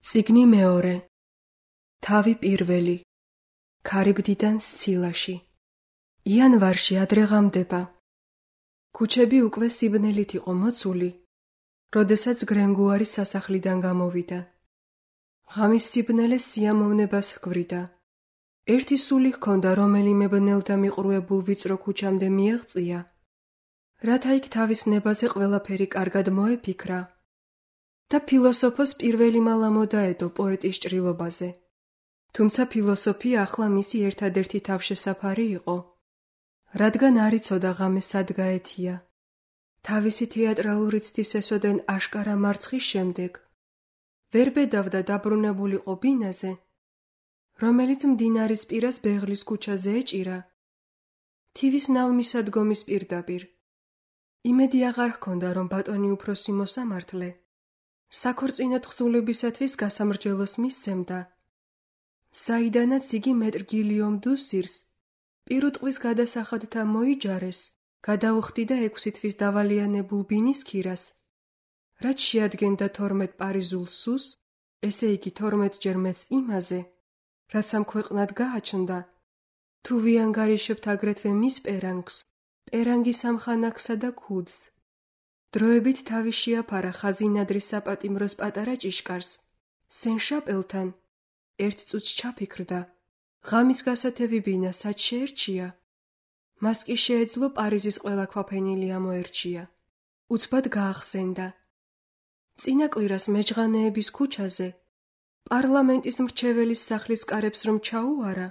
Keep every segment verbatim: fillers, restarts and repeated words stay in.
წიგნი მეორე. თავი პირველი. ქარიბდიდან სცილაში. იანვარში ადრე ღამდება. ქუჩები უკვე სიბნელით იყო მოწული, როდესაც გრენგუარი სასახლიდან გამოვიდა. ღამის სიბნელე სიამოვნებას ჰგვრიდა. ერთი სული ჰქონდა, რომელიმე ბნელდა მიყრუებულ ვიწრო ქუჩამდე მიეღწია, რათა იქ თავის ნებაზე ყველაფერი კარგად მოეფიქრა და ფილოსოფოს პირველი მალა მოდაედო პოეტის ჭრილობაზე. თუმცა ფილოსოფია ახლა მისი ერთადერთი თავშესაფარი იყო, რადგან არ იცოდა ღამე სად გაეთია. თავისი თეატრალური ცდის ესოდენ აშკარა მარცხის შემდეგ ვერ ბედავდა დაბრუნებულიყო ბინაზე, რომელიც მდინარის პირას ბეღლის ქუჩაზე ეჭირა, თივის ნავმისადგომის პირდაპირ. იმედი აღარ ჰქონდა, რომ ბატონი უფროსი მოსამართლე საქორწინო თხზულებისათვის გასამრჯელოს მისცემდა, საიდანაც იგი მეტრ გილიომ დუსირს პირუტყვის გადასახადთა მოიჯარეს, გადაუხდიდა ექვსი თვის დავალიანებულ ბინის ქირას, რაც შეადგენდა თორმეტ პარიზულ სუს, ესე იგი თორმეტჯერ მეტს იმაზე, რაც ამ ქვეყნად გააჩნდა, თუ ვიანგარიშებთ აგრეთვე მის პერანგს, პერანგის ამხანაგსა და ქუდს. დროებით თავი შეაფარა ხაზინადრის საპატიმროს პატარა ჭიშკარს, სენ-შაპელთან. ერთ წუთს ჩაფიქრდა, ღამის გასათევი ბინა სად შეერჩია? მას კი შეეძლო პარიზის ყველა ქვაფენილი ამოერჩია. უცბად გაახსენდა. წინა კვირას მეჯღანეების ქუჩაზე, პარლამენტის მრჩეველის სახლის კარებს რომ ჩაუარა,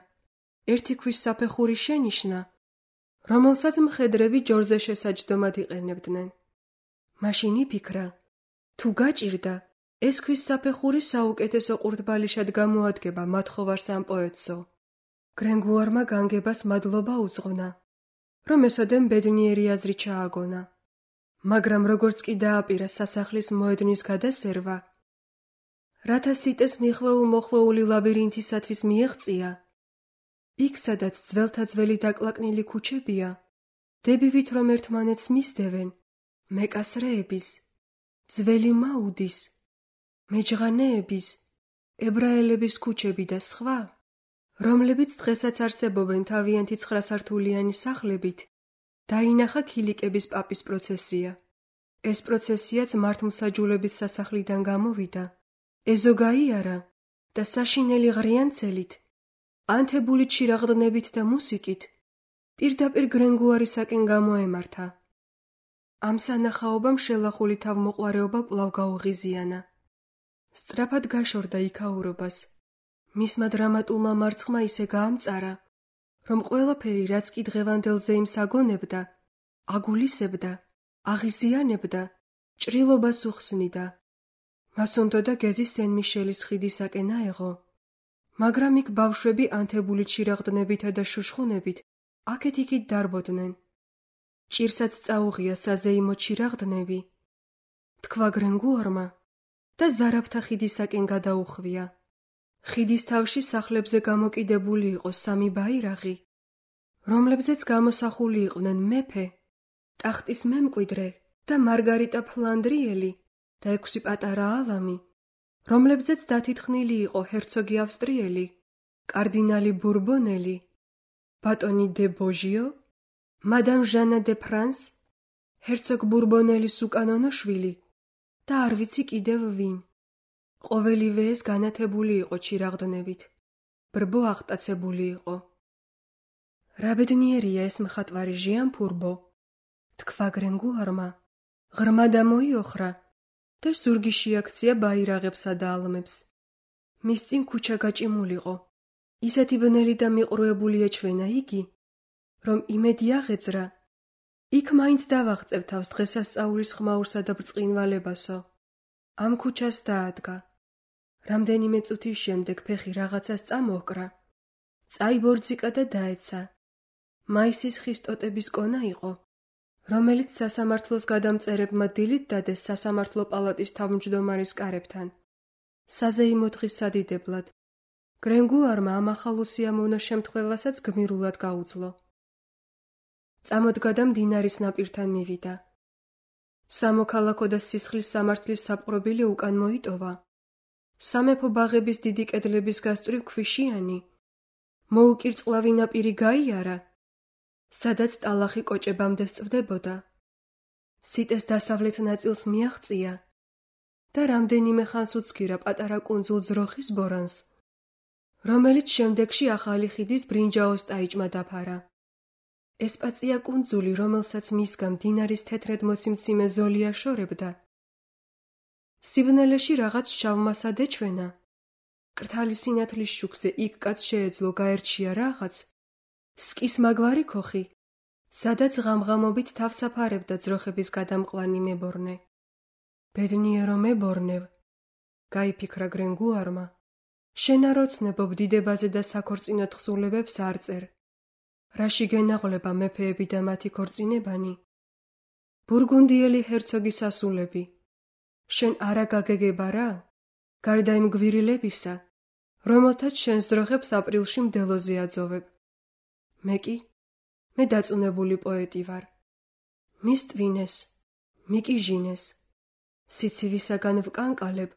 ერთი ქვის საფეხური შენიშნა, რომელსაც მხედრები ჯორზე შესაჯდომად იყენებდნენ. მაშინ იფიქრა, თუ გაჭირდა, ეს ქვის საფეხური საუკეთესო ყურდბალიშად გამოადგება მათხოვარს ამ პოეტსო. გრენგუარმა განგებას მადლობა უძღვნა, რომ ესოდენ ბედნიერი აზრი ჩააგონა, მაგრამ როგორც კი დააპირა სასახლის მოედნის გადასერვა, რათა სიტეს მიხვეულ მოხვეული ლაბირინთისათვის მიეღწია, იქ სადაც ძველთა ძველი დაკლაკნილი ქუჩებია, დებივით რომ ერთმანეთს მისდევენ, მეკასრეების, ძველი მაუდის, მეჯღანეების, ებრაელების ქუჩები და სხვა, რომლებიც დღესაც არსებობენ თავიანთი ცხრასართულიანი სახლებით, დაინახა ქილიკების პაპის პროცესია. ეს პროცესიაც მართლმსაჯულების სასახლიდან გამოვიდა, ეზო გაიარა და საშინელი ღრიანცელით, ანთებული ჩირაღდნებით და მუსიკით პირდაპირ გრენგუარისაკენ გამოემართა. ამ სანახაობამ შელახული თავმოყვარეობა კვლავ გაუღიზიანა. სწრაფად გაშორდა იქაურობას. მისმა დრამატულმა მარცხმა ისე გაამწარა, რომ ყველაფერი, რაც კი დღევანდელზე იმსაგონებდა, აგულისებდა, აღიზიანებდა, ჭრილობას უხსნიდა. მას უნდოდა გეზი სენ-მიშელის ხიდისაკენ აეღო, მაგრამ იქ ბავშვები ანთებული ჩირაღდნებითა და შუშხუნებით აქეთ-იქით დარბოდნენ. ჭირსაც წაუღია საზეიმო ჩირაღდნები, თქვა გრენგუარმა და ზარაფთა ხიდისაკენ გადაუხვია. ხიდის თავში სახლებზე გამოკიდებული იყო სამი ბაირაღი, რომლებზეც გამოსახული იყვნენ მეფე, ტახტის მემკვიდრე და მარგარიტა ფლანდრიელი და ექვსი პატარა ალამი, რომლებზეც დათითქმული იყო ჰერცოგი ავსტრიელი, კარდინალი ბურბონელი, ბატონი დე ბოჟიო, მადამ ჟანა დე ფრანს, ჰერცოგ ბურბონელის უკანონო შვილი და არ ვიცი კიდევ ვინ. ყოველივე ეს განათებული იყო ჩირაღდნებით, ბრბო აღტაცებული იყო. რა ბედნიერია ეს მხატვარი ჟიან-ფურბო, თქვა გრენგუარმა, ღრმა დამოიოხრა და ზურგი შეაქცია ბაირაღებსა და ალმებს. მის წინ ქუჩა გაჭიმულიყო, ისეთი ბნელი და მიყრუებული ეჩვენა იგი, რომ იმედი აღეძრა, იქ მაინც დავაღწევ თავს დღესასწაულის ხმაურსა და ბრწყინვალებასო. ამ ქუჩას დაადგა. რამდენიმე წუთის შემდეგ ფეხი რაღაცას წამოჰკრა, წაიბორძიკა და დაეცა. მაისის ხის ტოტების კონა იყო, რომელიც სასამართლოს გადამწერებმა დილით დადეს სასამართლო პალატის თავმჯდომარის კარებთან. საზეიმო დღის სადიდებლად. გრენგუარმა ამ ახალ უსიამოვნო შემთხვევასაც გმირულად გაუძლო. წამოდგა და მდინარის ნაპირთან მივიდა. სამოქალაქო და სისხლის სამართლის საპყრობილე უკან მოიტოვა. სამეფო ბაღების დიდი კედლების გასწვრივ ქვიშიანი, მოუკირწყლავი ნაპირი გაიარა, სადაც ტალახი კოჭებამდე სწვდებოდა. სიტეს დასავლეთ ნაწილს მიაღწია და რამდენიმე ხანს უცქირა პატარა კუნძულ ძროხის ბორანს, რომელიც შემდეგში ახალი ხიდის ბრინჯაოს ტაიჭმა დაფარა. ესპაცია კუნძული, რომელსაც მისგან მდინარის თეთრად მოციმციმე ზოლი აშორებდა. სიბნელეში რაღაც შავმასად ეჩვენა. კრთალი სინათლის შუქზე იქ კაც შეეძლო გაერჩია რაღაც, სკის მაგვარი ქოხი, სადაც ღამღამობით თავს აფარებდა ძროხების გადამყვანი მებორნე. ბედნიერო მებორნევ, გაიფიქრა გრენგუარმა, შენ არ ოცნებობ დიდებაზე და საქორწინო თხზულებებს არ წერ. რაში გენაღლება მეფეები და მათი ქორწინებანი? ბურგუნდიელი ჰერცოგის ასულები. შენ არა გაგეგება რა? გარდა იმ გვირილებისა, რომელთაც შენს ძროხებს აპრილში მდელოზე აძოვებ. მე კი, მე დაწუნებული პოეტი ვარ. მისტვინეს, მიკიჟინეს, სიცივისაგან ვკანკალებ,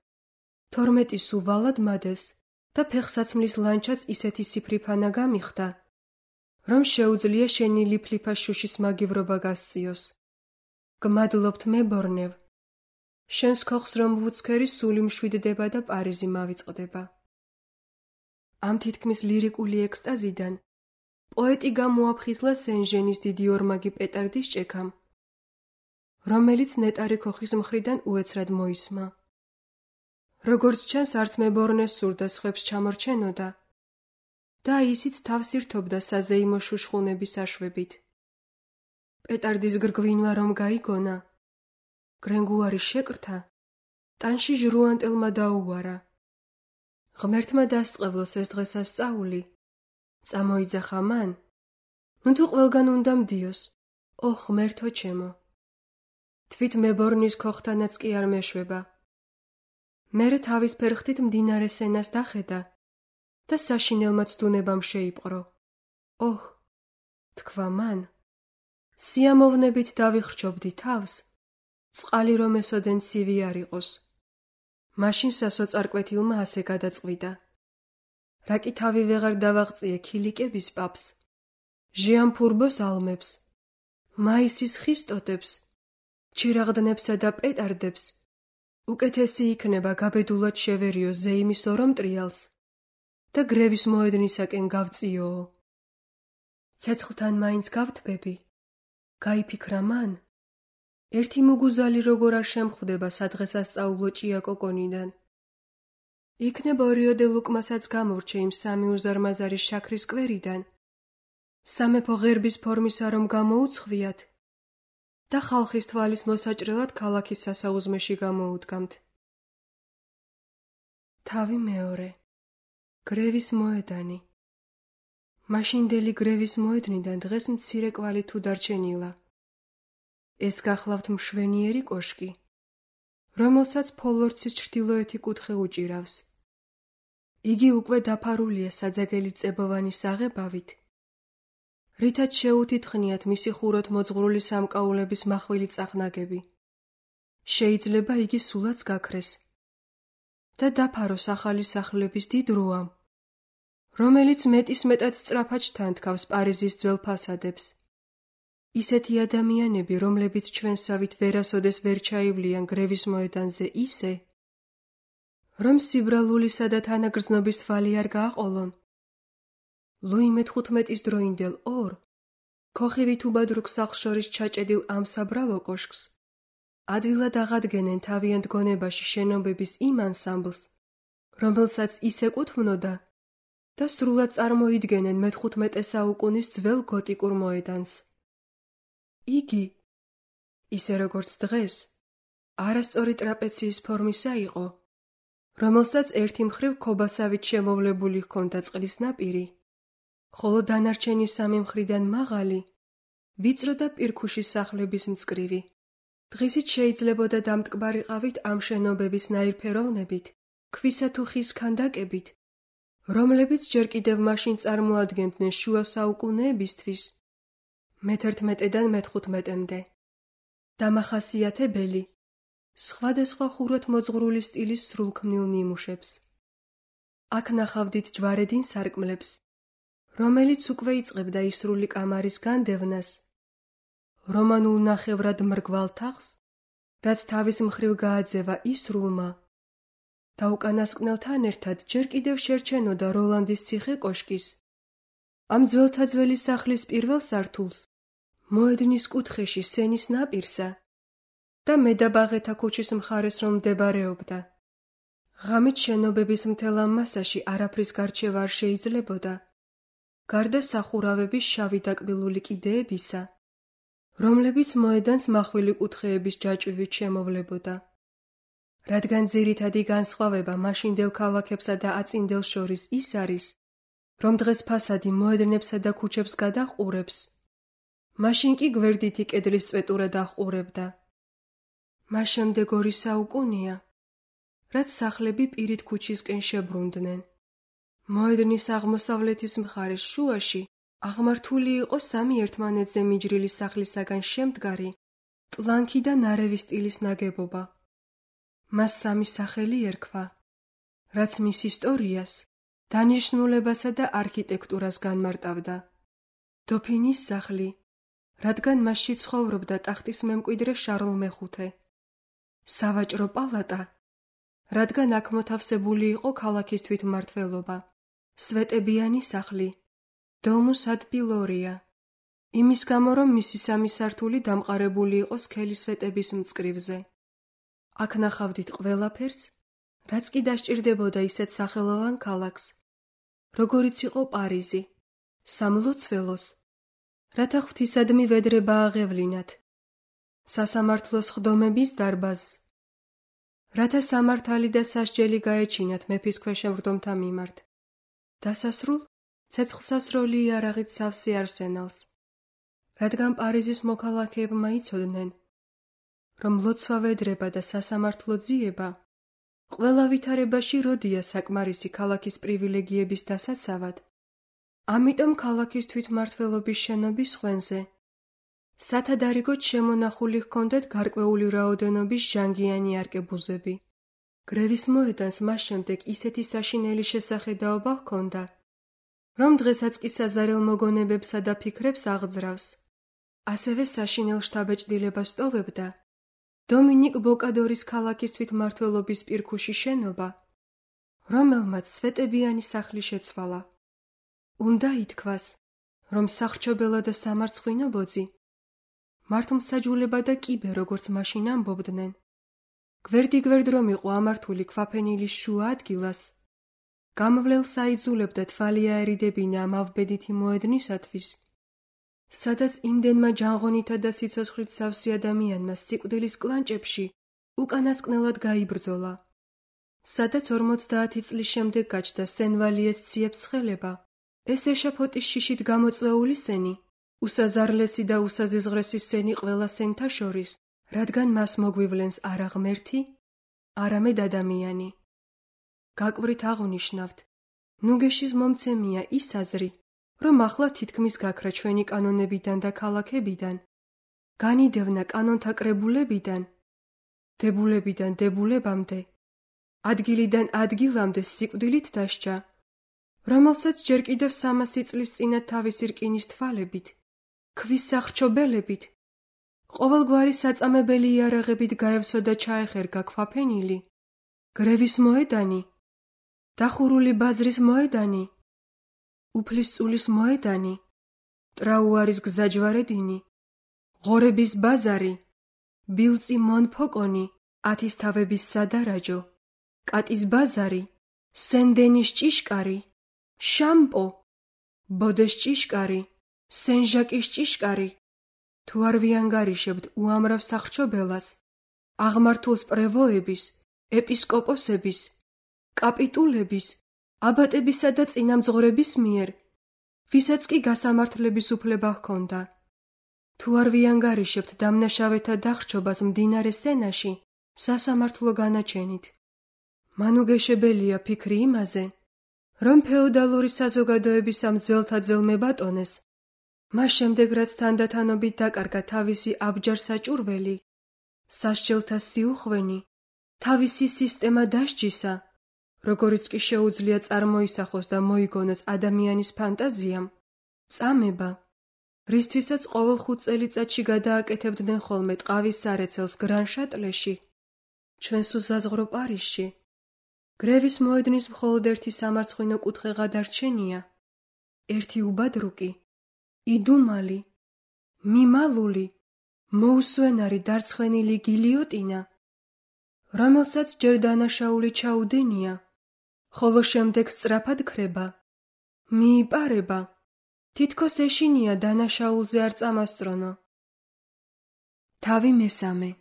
თორმეტი სუვალად მადევს და ფეხსაცმლის ლანჩაც ისეთი სიფრიფანა გამიხდა, რომ შეუძლია შენი ლიფლიფა შუშის მაგივრობა გასწიოს. გმადლობთ მებორნევ, შენს ქოხს რომ ვუცქერი სული მშვიდდება და პარიზი მავიწყდება. ამ თითქმის ლირიკული ექსტაზიდან პოეტი გამოაფხიზლა სენ-ჟენის დიდი ორმაგი პეტარდის ჭექამ, რომელიც ნეტარი ქოხის მხრიდან უეცრად მოისმა. როგორც ჩანს, არც მებორნეს სურდა სხვებს ჩამორჩენოდა და ისიც თავს ირთობდა საზეიმო შუშხუნების აშვებით. პეტარდის გრგვინვა რომ გაიგონა, გრენგუარი შეკრთა, ტანში ჟრუანტელმა დაუვარა. ღმერთმა დასწყევლოს ეს დღესასწაული, წამოიძახა მან, ნუ თუ ყველგან უნდა მდიოს, ო ღმერთო ჩემო. თვით მებორნის ქოხთანაც კი არ მეშვება. მერე თავის ფერხთით მდინარე სენას დახედა და საშინელმა ცდუნებამ შეიპყრო. ოჰ, თქვა მან, სიამოვნებით დავიხრჩობდი თავს, წყალი რომ ესოდენ ცივი არ იყოს. მაშინ სასოწარკვეთილმა ასე გადაწყვიტა. რა კი თავი ვეღარ დავაღწიე ქილიკების პაპს, ჟიამფურბოს ალმებს, მაისის ხის ტოტებს, ჩირაღდნებსა და პეტარდებს, უკეთესი იქნება გაბედულად შევერიო ზეიმის ორომ ტრიალს და გრევის მოედნისაკენ გავწიოო. ცეცხლთან მაინც გავთბები, გაიფიქრა მან, ერთი მუგუზალი როგორ არ შემხვდება სადღესასწაულო ჭიაკოკონიდან. იქნებ ორიოდე ლუკმასაც გამორჩე იმ სამი უზარმაზარი შაქრის კვერიდან, სამეფო ღერბის ფორმისა რომ გამოუცხვიათ და ხალხის თვალის მოსაჭრელად ქალაქის სასაუზმეში გამოუდგამთ. თავი მეორე. გრევის მოედანი. მაშინდელი გრევის მოედნიდან დღეს მცირე კვალი თუ დარჩენილა. ეს გახლავთ მშვენიერი კოშკი, რომელსაც ფოლორცის ჩრდილოეთი კუთხე უჭირავს. იგი უკვე დაფარულია საძაგელი წებოვანი საღებავით, რითაც შეუთითხნიათ მისი ხუროთ მოძღვრული სამკაულების მახვილი წახნაგები. შეიძლება იგი სულაც გაქრეს და დაფაროს ახალი სახლების დიდ როამ, რომელიც მეტის მეტად სწრაფად ჩთანთქავს პარიზის ძველ ფასადებს. ისეთი ადამიანები, რომლებიც ჩვენსავით ვერასოდეს ვერ ჩაივლიან გრევის მოედანზე ისე, რომ სიბრალულისა და თანაგრძნობის თვალი არ გააყოლონ. ლუი მეთხუთმეტის დროინდელ ორ, ქოხივით უბადრუქ სახლს შორის ჩაჭედილ ამ საბრალო კოშკს, ადვილად აღადგენენ თავიანთ გონებაში შენობების იმ ანსამბლს, რომელსაც ის ეკუთვნოდა და სრულად წარმოიდგენენ მეთხუთმეტე საუკუნის ძველ გოტიკურ მოედანს. იგი, ისე როგორც დღეს, არასწორი ტრაპეციის ფორმისა იყო, რომელსაც ერთი მხრივ ქობასავით შემოვლებული ჰქონდა წყლის ნაპირი, ხოლო დანარჩენი სამი მხრიდან მაღალი, ვიწრო და პირქუში სახლების მწკრივი. დღისით შეიძლებოდა დამტკბარიყავით ამ შენობების ნაირფეროვნებით, ქვისა თუ ხის ქანდაკებით, რომლებიც ჯერ კიდევ მაშინ წარმოადგენდნენ შუა საუკუნეებისთვის, მეთერთმეტედან მეთხუთმეტემდე. დამახასიათებელი, სხვადასხვა ხუროთ მოძღვრული სტილის სრულქმნილ ნიმუშებს. აქ ნახავდით ჯვარედინს სარკმლებს, რომელიც უკვე იწყებდა ისრული კამარის განდევნას, რომანულ ნახევრად მრგვალ თაღს, რაც თავის მხრივ გააძევა ისრულმა, და უკანასკნელთან ერთად ჯერ კიდევ შერჩენოდა როლანდის ციხე კოშკის, ამ ძველთაძველი სახლის პირველ სართულს, მოედნის კუთხეში სენის ნაპირსა და მედაბაღეთა ქუჩის მხარეს რომ მდებარეობდა. ღამით შენობების მთელ ამ მასაში არაფრის გარჩევა არ შეიძლებოდა, გარდა სახურავების შავი დაკბილული კიდეებისა, რომლებიც მოედანს მახვილი კუთხეების ჯაჭვივით შემოვლებოდა. რადგან ძირითადი განსხვავება მაშინდელ ქალაქებსა და აწინდელ შორის ის არის, რომ დღეს ფასადი მოედნებსა და ქუჩებს გადაჰყურებს, მაშინ კი გვერდითი კედლის წვეტურად აჰყურებდა. მას შემდეგ ორი საუკუნეა, რაც სახლები პირით ქუჩისკენ შებრუნდნენ. მოედნის აღმოსავლეთის მხარის შუაში აღმართული იყო სამი ერთმანეთზე მიჯრილი სახლისაგან შემდგარი, ტლანქი და ნარევი სტილის ნაგებობა. მას სამი სახელი ერქვა, რაც მის ისტორიას, დანიშნულებასა და არქიტექტურას განმარტავდა. დოფინის სახლი, რადგან მასში ცხოვრობდა ტახტის მემკვიდრე შარლ მეხუთე. სავაჭრო პალატა, რადგან აქ მოთავსებული იყო ქალაქის თვითმმართველობა. სვეტებიანი სახლი, დომუს ad pilloria, იმის გამო, რომ მისი სამი სართული დამყარებული იყო სქელი სვეტების მწკრივზე. აქ ნახავდით ყველაფერს, რაც კი დასჭირდებოდა ისეთ სახელოვან ქალაქს, როგორიც იყო პარიზი, სამლოცველოს, რათა ღვთისადმი ვედრება აღევლინათ, სასამართლოს ხდომების დარბაზს, რათა სამართალი და სასჯელი გაეჩინათ მეფის ქვეშევრდომთა მიმართ. დასასრულ ცეცხლსასროლი იარაღით სავსე არსენალს, რადგან პარიზის მოქალაქეებმა იცოდნენ, რომ ლოცვა ვედრება და სასამართლო ძიება ყველა ვითარებაში როდია საკმარისი ქალაქის პრივილეგიების დასაცავად, ამიტომ ქალაქის თვითმმართველობის შენობის ხვენზე სათადარიგოდ შემონახული ჰქონდათ გარკვეული რაოდენობის ჟანგიანი არკებუზები. გრევის მოედანს მას შემდეგ ისეთი საშინელი შესახედაობა ჰქონდა, რომ დღესაც კი საზარელ მოგონებებსა და ფიქრებს აღძრავს. ასევე საშინელ შთაბეჭდილებას ტოვებდა დომინიკ ბოკადორის ქალაქის თვითმმართველობის პირქუში შენობა, რომელმაც სვეტებიანი სახლი შეცვალა. უნდა ითქვას, რომ სახრჩობელა და სამარცხვინო ბოძი, მართლმსაჯულება და კიბე, როგორც მაშინ ამბობდნენ, გვერდიგვერდ რომ იყო ამართული ქვაფენილის შუა ადგილას, გამვლელს აიძულებდა თვალი აერიდებინა ამ ავბედითი მოედნისათვის, სადაც იმდენმა ჯანღონითა და სიცოცხლით სავსე ადამიანმა სიკვდილის კლანჭებში უკანასკნელად გაიბრძოლა, სადაც ორმოცდაათი წლის შემდეგ გაჩნდა სენ-ვალიეს ციებ-ცხელება, ეს ეშაფოტის შიშით გამოწვეული სენი, უსაზარლესი და უსაზიზღრესი სენი ყველა სენთა შორის, რადგან მას მოგვივლენს არა ღმერთი, არამედ ადამიანი. გაკვვრით აღნიშნავთ, ნუგეშის მომცემია ის აზრი, რომ ახლა თითქმის გაქრა ჩვენი კანონებიდან და ქალაქებიდან, განიდევნა კანონთა კრებულებიდან, დებულებიდან დებულებამდე, ადგილიდან ადგილამდე სიკვდილით დასჯა, რომელსაც ჯერ კიდევ სამასი წლის წინათ თავისი რკინის თვალებით, ქვის სახრჩობელებით, ყოველგვარი საწამებელი იარაღებით გაევსო და ჩაეხერგა ქვაფენილი, გრევის მოედანი, დახურული ბაზრის მოედანი, უფლისწულის მოედანი, ტრაუარის გზაჯვარედინი, ღორების ბაზარი, ბილწი მონფოკონი, ათისთავების სადარაჯო, კატის ბაზარი, სენ-დენის ჭიშკარი, შამპო, ბოდეს ჭიშკარი, სენ-ჟაკის ჭიშკარი, თუ არ ვიანგარიშებთ უამრავ სახრჩობელას, აღმართულს პრევოების, ეპისკოპოსების, კაპიტულების, აბატებისა და წინამძღვრების მიერ, ვისაც კი გასამართლების უფლება ჰქონდა. თუ არ ვიანგარიშებთ დამნაშავეთა დახრჩობას მდინარე სენაში, სასამართლო განაჩენით. მანუგეშებელია ფიქრი იმაზე, რომ ფეოდალური საზოგადოების ამ ძველთაძველ მებატონეს, მას შემდეგ რაც თანდათანობით დაკარგა თავისი აბჯარ-საჭურველი, სასჯელთა სიუხვენი თავისი სისტემა დასჯისა, როგორიც კი შეუძლია წარმოისახოს და მოიგონოს ადამიანის ფანტაზიამ, წამება, რისთვისაც ყოველ ხუთ წელიწადში გადააკეთებდნენ ხოლმე ტყავის სარეცელს გრან-შატლეში, ჩვენს უსაზღვრო პარიზში. გრევის მოედნის მხოლოდ ერთი სამარცხვინო კუთხე გადარჩენია, ერთი უბადრუკი, იდუმალი, მიმალული, მოუსვენარი დარცხვენილი გილიოტინა, რომელსაც ჯერ დანაშაული ჩაუდენია, ხოლო შემდეგ სწრაფად ქრება, მიიპარება, თითქოს ეშინია დანაშაულზე არ წამასწრონო. თავი მესამე.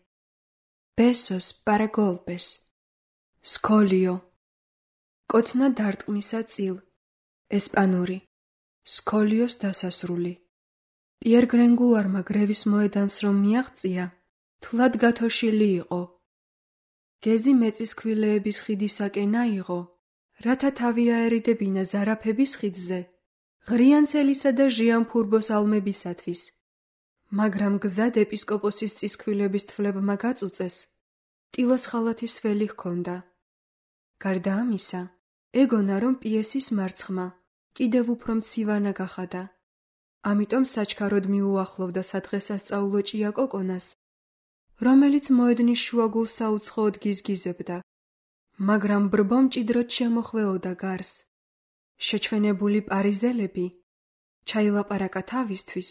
ბესოს პარაგოლპეს. სკოლიო. კოცნა დარტყმისა წილ. ესპანური. სკოლიოს დასასრული. პიერ გრენგუარმა გრევის მოედანს რომ მიაღწია, თლად გათოშილი იყო. გეზი მეწისქვილეების ხიდისაკენ აიღო, რათა თავი აერიდებინა ზარაფების ხიდზე, ღრიანცელისა და ჟიანფურბოს ალმებისათვის. მაგრამ გზად ეპისკოპოსის წისქვილების თვლებმა გაწუწეს, ტილოს ხალათის ველი ჰქონდა. გარდა ამისა, ეგონა რომ პიესის მარცხმა კიდევ უფრო მცივანა გახადა. ამიტომ საჩქაროდ მიუახლოვდა სადღესასწაულო ჭიაკოკონას, რომელიც მოედნის შუაგულ საუცხოოდ გიზგიზებდა, მაგრამ ბრბო მჭიდროდ შემოხვეოდა გარს. შეჩვენებული პარიზელები ჩაილაპარაკა თავისთვის,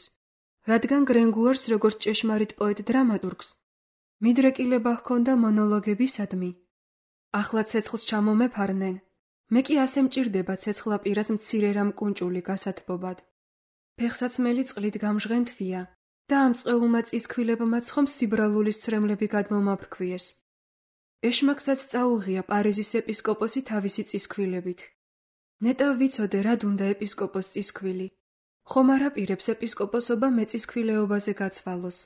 რადგან გრენგუარს როგორც ჭეშმარიტ პოეტ-დრამატურგს მიდრეკილება ჰქონდა მონოლოგებისადმი. ახლა ცეცხლს ჩამომეფარნენ, მე კი ასე მჭირდება ცეცხლა პირას მცირე რამ კუნჭული გასათბობად. ფეხსაცმელი წყლით გამჟღენთვია და ამ წყეულმა წისქვილებმაც ხომ სიბრალულის ცრემლები გადმომაფრქვიეს. ეშმაკსაც წაუღია პარიზის ეპისკოპოსი თავისი წისქვილებით. ნეტავ ვიცოდე რად უნდა ეპისკოპოს წისქვილი. ხომ არ აპირებს ეპისკოპოსობა მეწისქვილეობაზე გაცვალოს.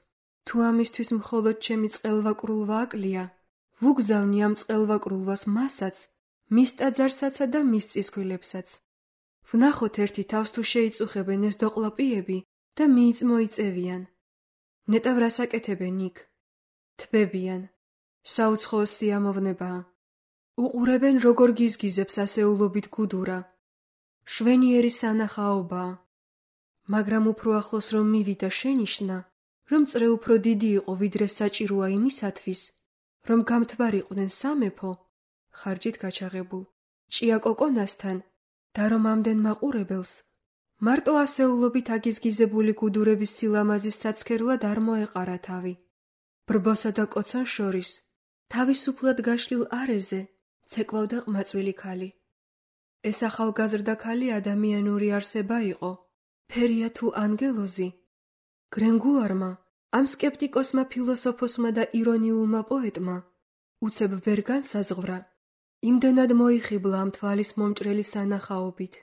თუ ამისთვის მხოლოდ ჩემი წყელვაკრულვა აკლია, ვუგზავნი ამ წყელვაკრულვას მასაც, მის ტაძარსაცა და მის წისქვილებსაც. ვნახოთ ერთი თავს თუ შეიწუხებენ ეს დოყლაპიები და მიიწმოიწევიან. ნეტავ რას აკეთებენ იქ? თბებიან. საუცხოო სიამოვნებაა. უყურებენ როგორ გიზგიზებს ასეულობით გუდურა. შვენიერი სანახაობაა. მაგრამ უფრო ახლოს რომ მივიდა შენიშნა, რომ წრე უფრო დიდი იყო ვიდრე საჭიროა იმისათვის, რომ გამთბარიყვნენ სამეფო, ხარჯით გაჩაღებულ, ჭიაკოკონასთან და რომ ამდენ მაყურებელს, მარტო ასეულობით აგიზგიზებული გუდურების სილამაზის საცქერლად არ მოეყარა თავი. ბრბოსა და კოცან შორის, თავისუფლად გაშლილ არეზე, ცეკვავდა ყმაწვილი ქალი. ეს ახალგაზრდა ქალი ადამიანური არსება იყო, ფერია თუ ანგელოზი. გრენგუარმა, ამ სკეპტიკოსმა ფილოსოფოსმა და ირონიულმა პოეტმა, უცებ ვერ განსაზღვრა, იმდენად მოიხიბლა ამ თვალის მომჭრელი სანახაობით.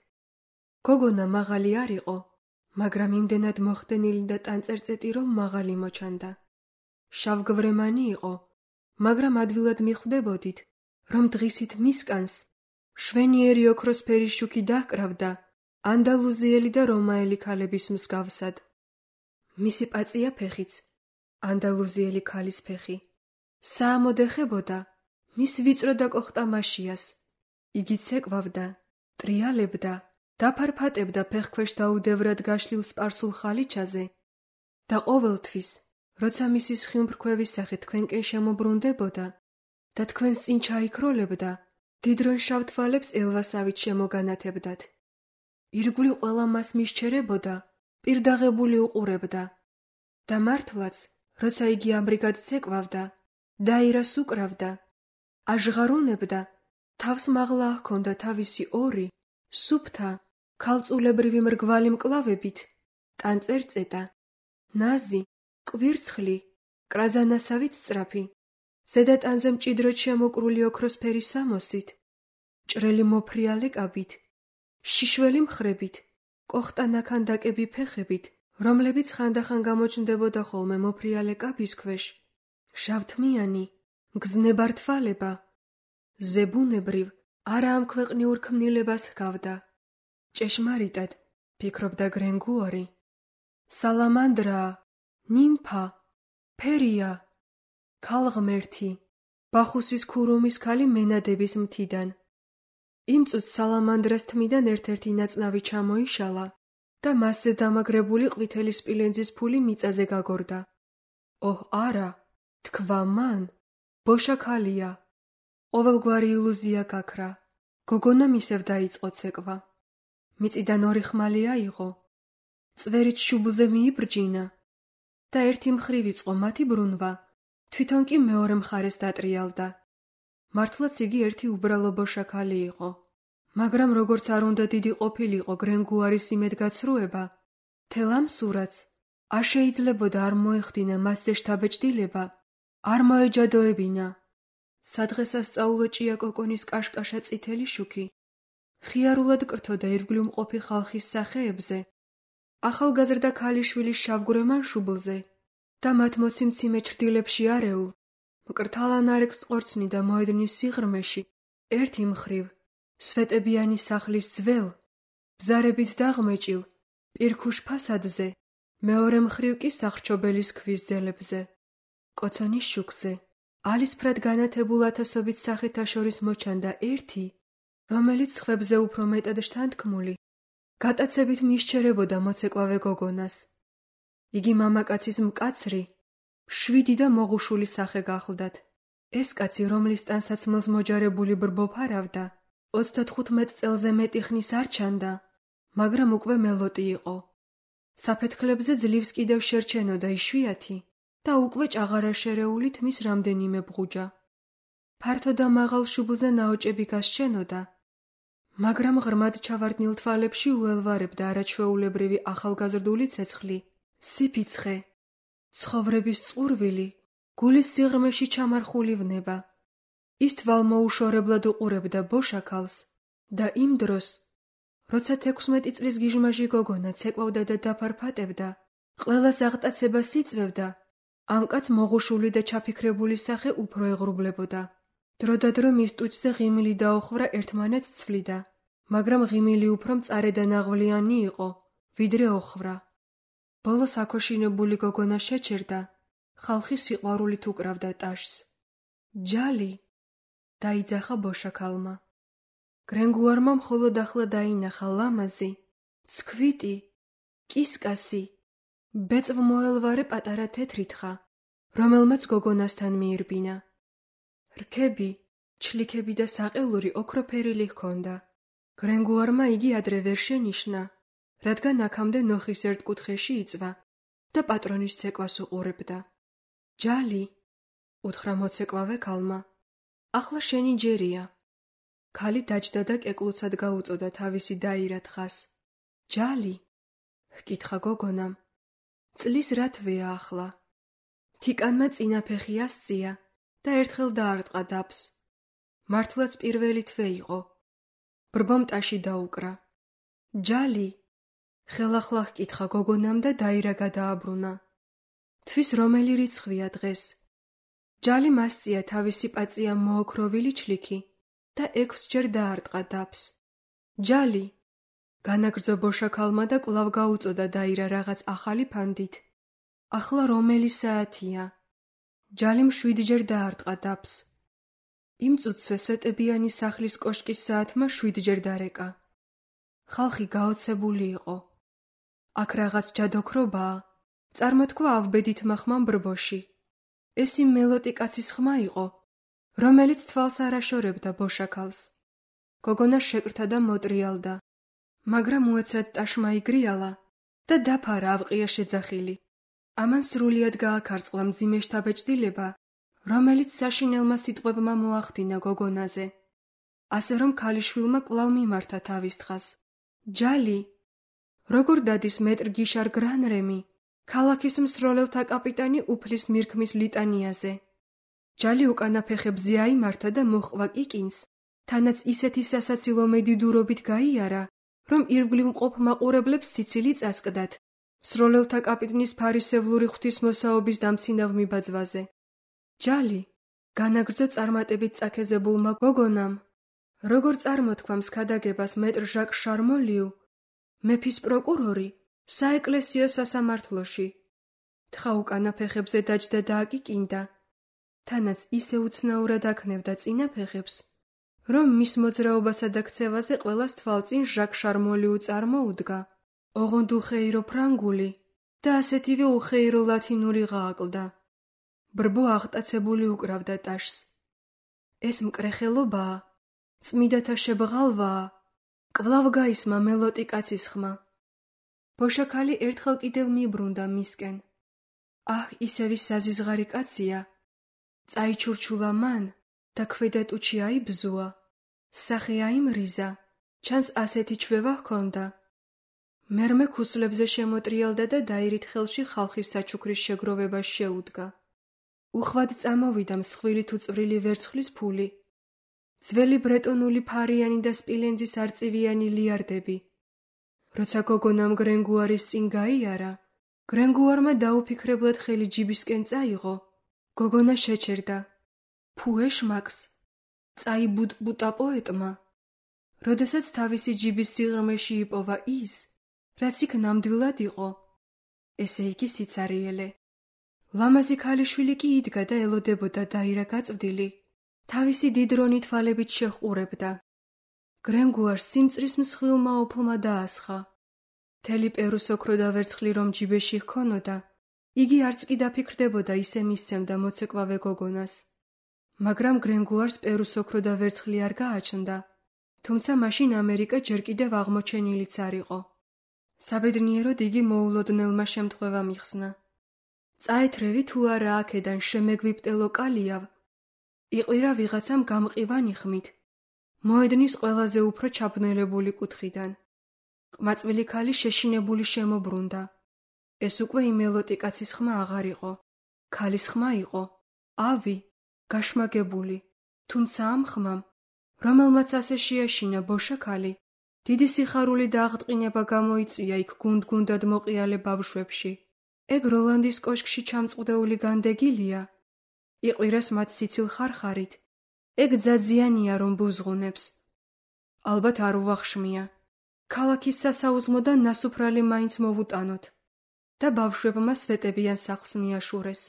გოგონა მაღალი არ იყო, მაგრამ იმდენად მოხდენილი და ტანწერწეტი რომ მაღალი მოჩანდა. შავგვრემანი იყო, მაგრამ ადვილად მიხვდებოდით, რომ დღისით მისკანს შვენიერი ოქროსფერი შუქი დაჰკრავდა ანდალუზიელი და რომაელი ქალების მსგავსად. მისი პაწია ფეხიც, ანდალუზიელი ქალის ფეხი, საამოდ ეხებოდა მის ვიწრო და კოხტამაშიას. იგი ცეკვავდა, ტრიალებდა, დაფარფატებდა ფეხქვეშ დაუდევრად გაშლილ სპარსულ ხალიჩაზე და ყოველთვის, როცა მისი სხიუმფრქვევის სახე თქვენკენ შემობრუნდებოდა და თქვენს წინ ჩაიქროლებდა, დიდრონ შავ თვალებს ელვასავით შემოგანათებდათ. ირგვლივ ყველა მას მისჩერებოდა, პირდაღებული უყურებდა და მართლაც, როცა იგი ამრიგად ცეკვავდა, დაირას უკრავდა, აჟღარუნებდა, თავს მაღლა ჰქონდა თავისი ორი, სუფთა, ქალწულებრივი მრგვალი მკლავებით, ტანწერწეტა, ნაზი, კვირცხლი, კრაზანასავით სწრაფი, ზედატანზე მჭიდროდ შემოკრული ოქროსფერი სამოსით, ჭრელი მოფრიალე კაბით, შიშველი მხრებით, კოხტანაქანდაკები ფეხებით, რომლებიც ხანდახან გამოჩნდებოდა ხოლმე მოფრიალე კაბის ქვეშ, შავთმიანი, მგზნებართვალება, ზებუნებრივ, არა ამ ქვეყნიურ ქმნილებას ჰგავდა. ჭეშმარიტად, ფიქრობდა გრენგუარი. სალამანდრაა, ნიმფა, ფერია, ქალღმერთი, ბახუსის ქურუმის ქალი მენადების მთიდან. იმ წუთს სალამანდრას თმიდან ერთ-ერთი ნაწნავი ჩამოიშალა და მასზე დამაგრებული ყვითელი სპილენძის ფული მიწაზე გაგორდა. ოჰ არა, თქვა მან, ბოშა ქალია. ყოველგვარი ილუზია გაქრა. გოგონამ ისევ დაიწყო ცეკვა. მიწიდან ორი ხმალი აიღო. წვერით შუბლზე მიიბრჯინა და ერთი მხრივ იწყო მათი ბრუნვა, თვითონ კი მეორე მხარეს დატრიალდა. მართლაც იგი ერთი უბრალო ბოშა ქალი იყო. მაგრამ როგორც არ უნდა დიდი ყოფილიყო გრენგუარის იმედგაცრუება, მთელ ამ სურათს არ შეიძლებოდა არ მოეხდინა მასზე შთაბეჭდილება, არ მოეჯადოებინა. სადღესასწაულო ჭიაკოკონის კაშკაშა წითელი შუქი ხიარულად კრთოდა ირგვლივმყოფი ხალხის სახეებზე, ახალგაზრდა ქალიშვილის შავგვრემან შუბლზე და მათ მოციმციმე ჩრდილებში არეულ, მკრთალანარეკს ყორცნი და მოედნის სიღრმეში, ერთი მხრივ სვეტებიანი სახლის ძველ, ბზარებით დაღმეჭილ, პირქუშ ფასადზე, მეორე მხრივ კი სახრჩობელის ქვის ძელებზე. კოცონის შუქზე, ალისფრად განათებულ ათასობით სახეთა შორის მოჩანდა ერთი, რომელიც სხვებზე უფრო მეტად შთანთქმული, გატაცებით მისჩერებოდა მოცეკვავე გოგონას. იგი მამაკაცის მკაცრი, შვიდი და მოღუშული სახე გახლდათ. ეს კაცი, რომლის ტანსაცმელს მოჯარებული ბრბო ფარავდა, ოცდათხუთმეტ წელზე მეტი ხნის არ ჩანდა, მაგრამ უკვე მელოტი იყო. საფეთქლებზე ძლივს კიდევ შერჩენოდა იშვიათი და უკვე ჭაღარაშერეული თმის რამდენიმე ბღუჯა. ფართო და მაღალ შუბლზე ნაოჭები გასჩენოდა, მაგრამ ღრმად ჩავარდნილ თვალებში უელვარებდა არაჩვეულებრივი ახალგაზრდული ცეცხლი, სიფიცხე, ცხოვრების წყურვილი, გულის სიღრმეში ჩამარხული ვნება. ის თვალმოუშორებლად უყურებდა ბოშა ქალს და იმ დროს, როცა თექვსმეტი წლის გიჟმაჟი გოგონა ცეკვავდა და დაფარფატებდა, ყველას აღტაცებას იწვევდა, ამ კაცს მოღუშული და ჩაფიქრებული სახე უფრო ეღრუბლებოდა. დროდადრო მის ტუჩზე ღიმილი დაუხვრა ერთმანეთს ცვლიდა, მაგრამ ღიმილი უფრო მწარე და ნაღვლიანი იყო, ვიდრე ოხრა. ბოლოს აქოშინებული გოგონა შეჩერდა, ხალხი სიყვარულით უკრავდა ტაშს. ჯალი, დაიძახა ბოშა ქალმა. გრენგუარმა მხოლოდ ახლა დაინახა ლამაზი, ცქვიტი, კისკასი, ბეწვ მოელვარე პატარა თეთრი თხა, რომელმაც გოგონასთან მიირბინა. რქები, ჩლიქები და საყელური ოქროფერილი ჰქონდა. გრენგუარმა იგი ადრე ვერ შენიშნა, რადგან აქამდე ნოხის ერთ კუთხეში იწვა და პატრონის ცეკვას უყურებდა. ჯალი, უთხრა მოცეკვავე ქალმა, ახლა შენი ჯერია. ქალი დაჯდა და კეკლუცად გაუწოდა თავისი დაირა თხას. ჯალი, ჰკითხა გოგონამ, წლის რა თვეა ახლა? თიკანმა წინა ფეხი ასწია და ერთხელ დაარტყა დაფს. მართლაც პირველი თვე იყო. ბრბომ ტაში დაუკრა. ჯალი, ხელახლა ჰკითხა გოგონამ და დაირა გადააბრუნა. თვის რომელი რიცხვია დღეს? ჯალიმ ასწია თავისი პაწია მოოქროვილი ჩლიქი და ექვსჯერ დაარტყა დაფს. ჯალი, განაგრძო ბოშა ქალმა და კვლავ გაუწოდა დაირა რაღაც ახალი ფანდით. ახლა რომელი საათია? ჯალიმ შვიდჯერ დაარტყა დაფს. იმ წუთსვე სვეტებიანი სახლის კოშკის საათმა შვიდჯერ დარეკა. ხალხი გაოცებული იყო. აქ რაღაც ჯადოქრობაა, წარმოთქვა ავბედით მახმამ ბრბოში. ეს იმ მელოტი კაცის ხმა იყო, რომელიც თვალს არ აშორებდა ბოშა ქალს. გოგონა შეკრთა და მოტრიალდა, მაგრამ უეცრად ტაშმა იგრიალა და დაფარა ავყია შეძახილი. ამან სრულიად გააქარწყლა მძიმე შთაბეჭდილება, რომელიც საშინელმა სიტყვებმა მოახდინა გოგონაზე. ასე რომ ქალიშვილმა კვლავ მიმართა თავის თხას. ჯალი, როგორ დადის მეტრ გიშარ გრანრემი, ქალაქის მსროლელთა კაპიტანი უფლის მირქმის ლიტანიაზე? ჯალი უკანა ფეხებზე აიმართა და მოჰყვა კიკინს, თანაც ისეთი სასაცილო მედიდურობით გაიარა, რომ ირგვლივ მყოფ მაყურებლებს სიცილი წასკდათ, მსროლელთა კაპიტნის ფარისევლური ღვთისმოსაობის დამცინავ მიბაძვაზე. ჯალი, განაგრძო წარმატებით წაქეზებულმა გოგონამ, როგორ წარმოთქვამს ქადაგებას მეტრ ჟაკ შარმოლიუ, მეფის პროკურორი, საეკლესიო სასამართლოში. თხა უკანა ფეხებზე დაჯდა და აკიკინდა, თანაც ისე უცნაურად აქნევდა წინა ფეხებს, რომ მის მოძრაობასა და ქცევაზე ყველას თვალწინ ჟაკ შარმოლი უწარმოუდგა, ოღონდ უხეირო ფრანგული და ასეთივე უხეირო ლათინური ღააკლდა. ბრბო აღტაცებული უკრავდა ტაშს. ეს მკრეხელობაა, წმიდათა შებღალვაა, კვლავ გაისმა მელოტი კაცის ხმა. ბოშაქალი ერთხელ კიდევ მიბრუნდა მისკენ. აჰ, ისევი საზიზღარი კაცია. წაიჩურჩულა მან და ქვედა ტუჩი აიბზუა. სახე აიმრიზა, ჩანს ასეთი ჩვევა ჰქონდა. მერმე ქუსლებზე შემოტრიალდა და დაირით ხელში ხალხის საჩუქრის შეგროვებას შეუდგა. უხვად წამოვიდა მსხვილი თუ წვრილი ვერცხლის ფული, ძველი ბრეტონული ფარიანი და სპილენძის არწივიანი ლიარდები. როცა გოგონამ გრენგუარის წინ გაიარა, გრენგუარმა დაუფიქრებლად ხელი ჯიბისკენ წაიღო. გოგონა შეჩერდა. ფუ ეშმაკს, წაიბუტბუტა პოეტმა. როდესაც თავისი ჯიბის სიღრმეში იპოვა ის, რაც იქ ნამდვილად იყო, ესე იგი სიცარიელე. ლამაზი ქალიშვილი კი იდგა და ელოდებოდა დაირა გაწვდილი, თავისი დიდრონი თვალებით შეჰყურებდა. გრენგუარს სიმწრის მსხვილმა ოფლმა დაასხა. მთელი პერუს ოქრო და ვერცხლი რომ ჯიბეში ჰქონოდა, იგი არც კი დაფიქრდებოდა ისე მისცემდა მოცეკვავე გოგონას. მაგრამ გრენგუარს პერუს ოქრო და ვერცხლი არ გააჩნდა, თუმცა მაშინ ამერიკა ჯერ კიდევ აღმოჩენილიც არ იყო. საბედნიეროდ იგი მოულოდნელმა შემთხვევამ იხსნა. წაეთრევი თუ არა აქედან შემეგვიპტელო კალიავ, იყვირა ვიღაცამ გამყივანი ხმით, მოედნის ყველაზე უფრო ჩაბნელებული კუთხიდან. ყმაწვილი ქალი შეშინებული შემობრუნდა. ეს უკვე იმელოტი კაცის ხმა აღარ იყო. ქალის ხმა იყო, ავი, გაშმაგებული, თუმცა ამ ხმამ, რომელმაც ასე შეაშინა ბოშაქალი, დიდი სიხარული და აღტყინება გამოიწვია იქ გუნდ-გუნდად მოყიალე ბავშვებში. ეგ როლანდის კოშკში ჩამწყვდეული განდეგილია, იყვირას მათ სიცილ ხარხარით, ეგ ძაძიანია რომ ბუზღუნებს. ალბათ არ უვახშმია. ქალაქის სასაუზმოდან ნასუფრალი მაინც მოვუტანოთ და ბავშვებმა სვეტებიან სახლს მიაშურეს.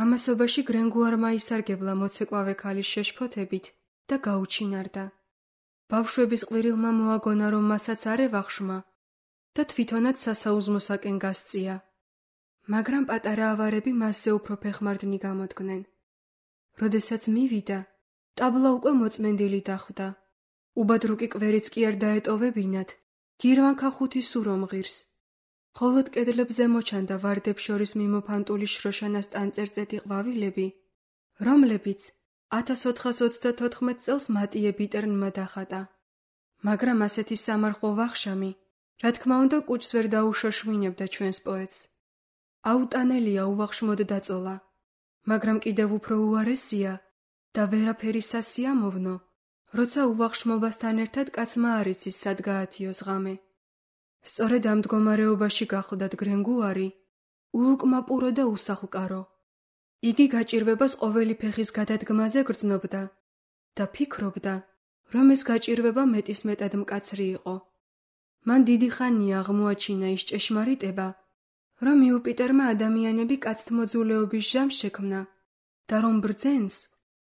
ამასობაში გრენგუარმა ისარგებლა მოცეკვავე ქალის შეშფოთებით და გაუჩინარდა. ბავშვების ყვირილმა მოაგონა რომ მასაც არ ევახშმა და თვითონაც სასაუზმოსაკენ გასწია. მაგრამ პატარა ავარები მასზე უფრო ფეხმარდნი გამოდგნენ. როდესაც მივიდა, ტაბლა უკვე მოწმენდილი დახვდა. უბადრუკი კვერიც კი არ დაეტოვებინათ, გირვანქა ხუთი სურომ ღირს. ხოლოდ კედლებზე მოჩანდა ვარდებს შორის მიმოფანტული შროშანას ტანწერწეტი ყვავილები, რომლებიც ათას ოთხას ოცდათოთხმეტ წელს მატიე ბიტერნმა დახატა. მაგრამ ასეთი სამარხო ვახშამი, რა თქმა უნდა, კუჭს ვერ დაუშოშმინებდა ჩვენს პოეტს. აუტანელია უვახშმოდ დაწოლა, მაგრამ კიდევ უფრო უარესია და ვერაფერი სასიამოვნო, როცა უვახშმობასთან ერთად კაცმა არ იცის სად გაათიოს ღამე. სწორედ ამ მდგომარეობაში გახლდათ გრენგუარი, ულუკმაპურო და უსახლკარო. იგი გაჭირვებას ყოველი ფეხის გადადგმაზე გრძნობდა და ფიქრობდა, რომ ეს გაჭირვება მეტისმეტად მკაცრი იყო. მან დიდი ხანია აღმოაჩინა ის ჭეშმარიტება, რომ იუპიტერმა ადამიანები კაცთმოძულეობის ჟამს შექმნა და რომ ბრძენს,